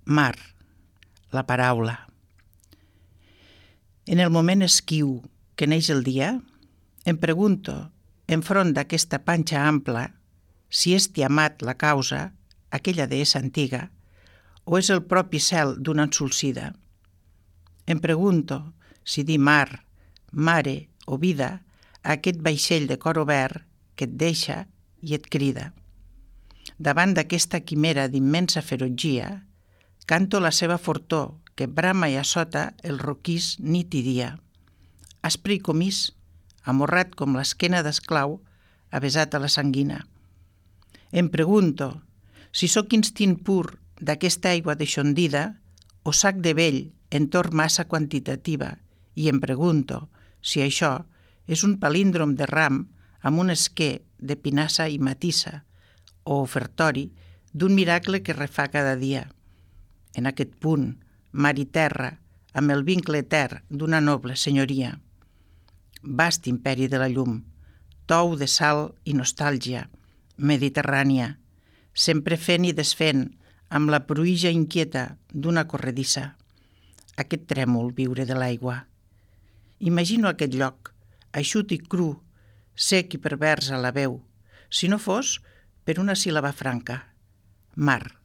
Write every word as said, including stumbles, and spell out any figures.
Mar, la paraula. En el moment esquiu que neix el dia, em pregunto, enfront d'aquesta panxa ampla, si és Tiamat la causa, aquella deessa antiga, o és el propi cel d'una ensolcida. Em pregunto si dir mar, mare o vida a aquest vaixell de cor obert que et deixa i et crida. Davant d'aquesta quimera d'immensa ferotgia, canto la seva fortor que brama i assota el roquís nit i dia. Aspre i comís, amorrat com l'esquena d'esclau, avesat a la sanguina. Em pregunto si sóc instint pur d'aquesta aigua deixondida o sac de vell en tor massa quantitativa i em pregunto si això és un palíndrom de ram amb un esquer de pinassa i matissa o ofertori d'un miracle que refà cada dia. En aquest punt, mar i terra, amb el vincle etern d'una noble senyoria. Vast imperi de la llum, tou de sal i nostàlgia, mediterrània, sempre fent i desfent amb la pruïja inquieta d'una corredissa. Aquest trèmol viure de l'aigua. Imagino aquest lloc, eixut i cru, sec i pervers a la veu, si no fos per una síl·laba franca, mar.